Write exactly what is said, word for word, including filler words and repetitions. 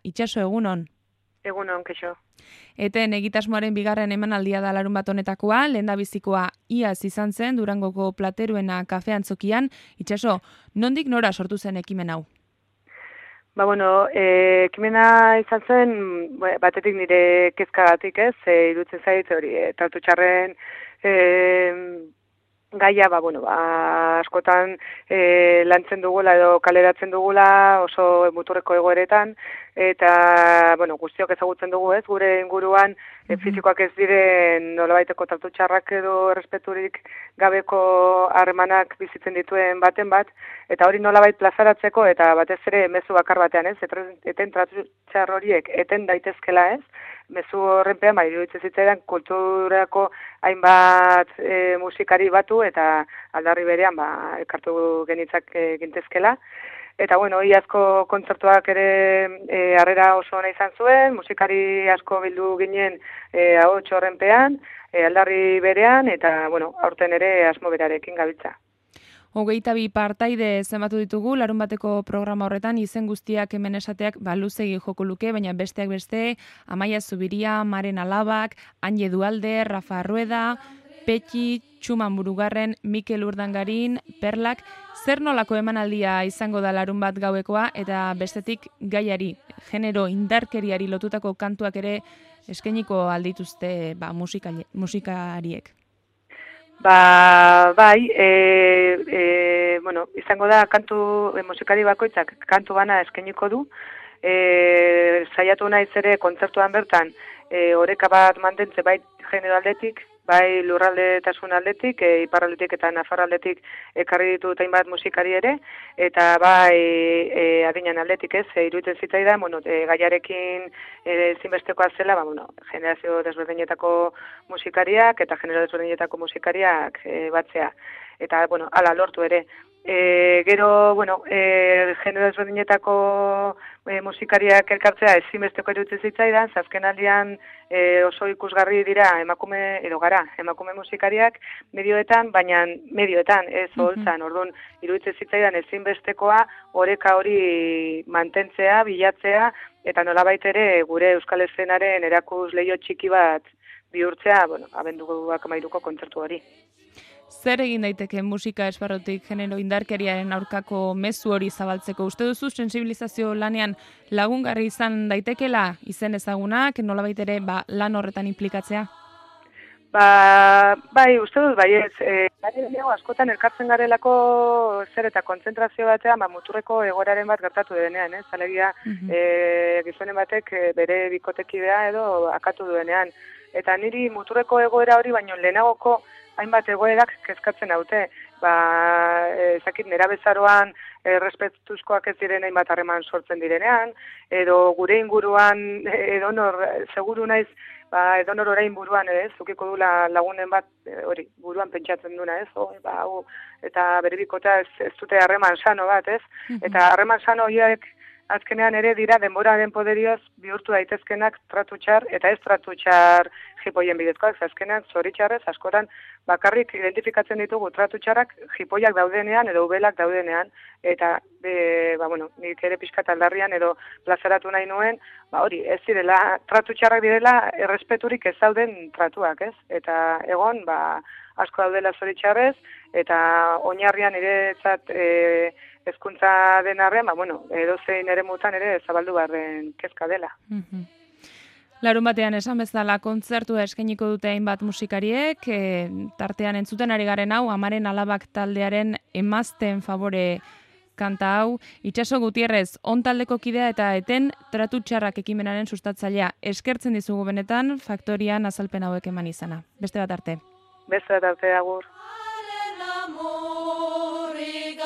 Itxaso, egunon. Egunon, kexo. Eten egitasmoaren bigarren emanaldia da larun bat honetakoa, lehendabizikoa iaz izan zen Durangoko Plateruena kafean zokian. Itxaso, nondik nora sortu zen ekimen hau? Ba, bueno, e, ekimena izan zen, batetik nire kezkagatik ez, e, irutzen zait, hori, e, tratu txarren e, gaia, ba, bueno, ba, askotan e, lantzen dugula edo kaleratzen dugula oso muturreko egoeretan, eta, bueno, guztiok ezagutzen dugu ez, gure inguruan e, fizikoak ez diren nolabaiteko tratu txarrak edo errespeturik gabeko harremanak bizitzen dituen baten bat, eta hori nolabait plazaratzeko eta batez ere mezu bakar batean ez, eten tratu txar horiek eten daitezkela ez, mezu horrenpean, bai, iruditzen zitzaidan kulturako hainbat e, musikari batu eta aldarri berean ba, ekartu genitzak e, gintezkela. Eta, bueno, iazko kontzertuak ere e, harrera oso ona izan zuen, musikari asko bildu ginen e, ahots horrenpean, e, aldarri berean, eta, bueno, aurten ere asmo berarekin gabiltza. Hogeita bi partaide zenbatu ditugu, larun bateko programa horretan, izen guztiak hemen esateak ba, luzegi joko luke, baina besteak beste, Amaia Zubiria, Maren Alabak, Anje Dualde, Rafa Rueda, Petxi, Txuman Burugarren, Mikel Urdangarin, Perlak, zer nolako emanaldia izango da larun bat gauekoa, eta bestetik gaiari, genero indarkeriari lotutako kantuak ere eskainiko aldituzte ba, musikali, musikariek. Ba, bai, e, e, bueno, izango da kantu e, musikari bakoitzak kantu bana eskainiko du. E, saiatu naiz ere kontzertuan bertan e, oreka bat mantentze bai genero aldetik, bai lurraldetasun aldetik, e, iparraldetik eta nafarraldetik ekarri ditut hainbat musikari ere, eta bai e, adinan aldetik ez, e, iruditzen zitzaidan, bueno, e, gaiarekin e, zinbestekoa zela, ba, bueno, generazio desberdinetako musikariak eta genero desberdinetako musikariak e, batzea. Eta, bueno, ala lortu ere. E, gero, bueno, e, genero desberdinetako e, musikariak elkartzea ezinbesteko iruditzen zitzaidan, azken aldian e, oso ikusgarri dira emakume, edo gara, emakume musikariak medioetan, baina medioetan, ez holtzan, orduan iruditzen zitzaidan ezinbestekoa oreka hori mantentzea, bilatzea, eta nolabait ere gure euskal eszenaren erakus leio txiki bat bihurtzea, bueno, abenduak amairuko kontzertu hori. Zer egin daiteke musika esparrutik genero indarkeriaren aurkako mezu hori zabaltzeko? Uste duzu sensibilizazio lanean lagungarri izan daitekela izen ezagunak, nolabait ere ba, lan horretan inplikatzea? Ba, bai, uste dut, bai ez, e, askotan elkartzen garelako zer eta kontzentrazio batean, ba, muturreko egoeraren bat gertatu denean, ez? Alegia, uh-huh. e, gizonen batek bere bikotekidea edo akatu duenean. Eta niri muturreko egoera hori, baino lehenagoko hainbat egoerak kezkatzen haute. Ba, ezakit nera bezaroan errespetuzkoak ez diren hainbat harreman sortzen direnean, edo gure inguruan edonor, seguru naiz, ba, edonor orain buruan, ez, zukiko dula lagunen bat, hori, buruan pentsatzen duna, ez, oh, ba, oh, eta bere bikota ez, ez dute harreman sano bat, ez, eta harreman sano horiek azkenean ere dira denboraren poderioz bihurtu daitezkenak tratu txar eta ez tratu txar jipoien bidezkoak, azkenean zoritxarrez askotan bakarrik identifikatzen ditugu tratu txarrak jipoiak daudenean edo ubelak daudenean, eta e, ba, bueno, nik ere pixkat aldarrian edo plazaratu nahi nuen, ba, hori, ez direla, tratu txarrak direla errespeturik ez dauden tratuak, ez? Eta egon, ba, asko daudela zoritxarrez, eta oinarrian ere zat, e, ezkuntza den arren, ba, bueno, edozein ere mutan ere zabaldu barren kezka dela. Mm-hmm. Larun batean esan bezala kontzertua eskainiko dute hainbat musikariek, e, tartean entzuten ari garen hau, Amaren Alabak taldearen Emazten Favore kanta hau, Itxaso Gutierrez, on taldeko kidea eta eten tratu txarrak ekimenaren sustatzailea. Eskertzen dizugu benetan, Faktorian azalpen hauek eman izana. Beste bat arte. Beste bat arte, agur. Amore